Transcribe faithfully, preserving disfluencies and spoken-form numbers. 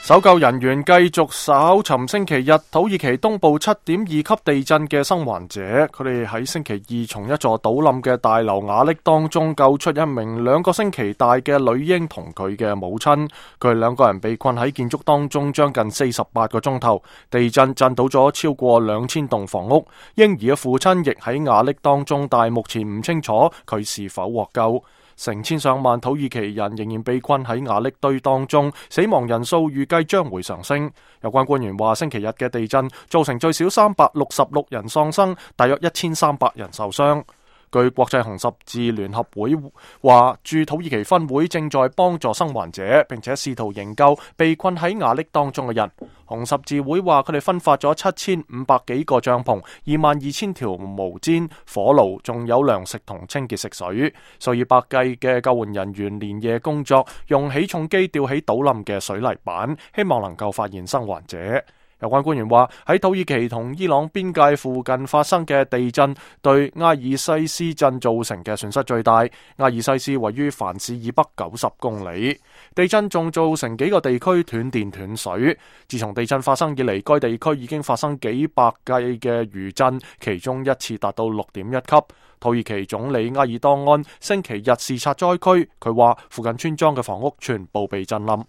搜救人員繼續搜尋星期日土耳其東部七點二級地震嘅生還者，佢哋喺星期二從一座倒冧嘅大樓瓦礫當中救出一名兩個星期大嘅女嬰同佢嘅母親，佢哋兩個人被困喺建築當中將近四十八個鐘頭，地震震倒咗超過兩千棟房屋，嬰兒嘅父親亦喺瓦礫當中，但係目前唔清楚佢是否獲救。成千上萬土耳其人仍然被困喺瓦礫堆當中，死亡人數預計將會上升。有關官員話，星期日嘅地震造成最少三百六十六人喪生，大約一千三百人受傷。據國際紅十字聯合會話，駐土耳其分會正在幫助生還者，並且試圖營救被困喺瓦礫當中嘅人。紅十字會話，佢哋分發咗七千五百幾個帳篷、二萬二千條毛氈、火爐，仲有糧食同清潔食水。數以百計嘅救援人員連夜工作，用起重機吊起倒冧嘅水泥板，希望能夠發現生還者。有關官員話，喺土耳其同伊朗邊界附近發生嘅地震對埃爾西斯鎮造成嘅損失最大。埃爾西斯位於凡士以北九十公里，地震仲造成幾個地區斷電斷水。自從地震發生以嚟，該地區已經發生幾百計嘅餘震，其中一次達到六點一級。土耳其總理埃爾多安星期日視察災區，佢話附近村莊嘅房屋全部被震冧。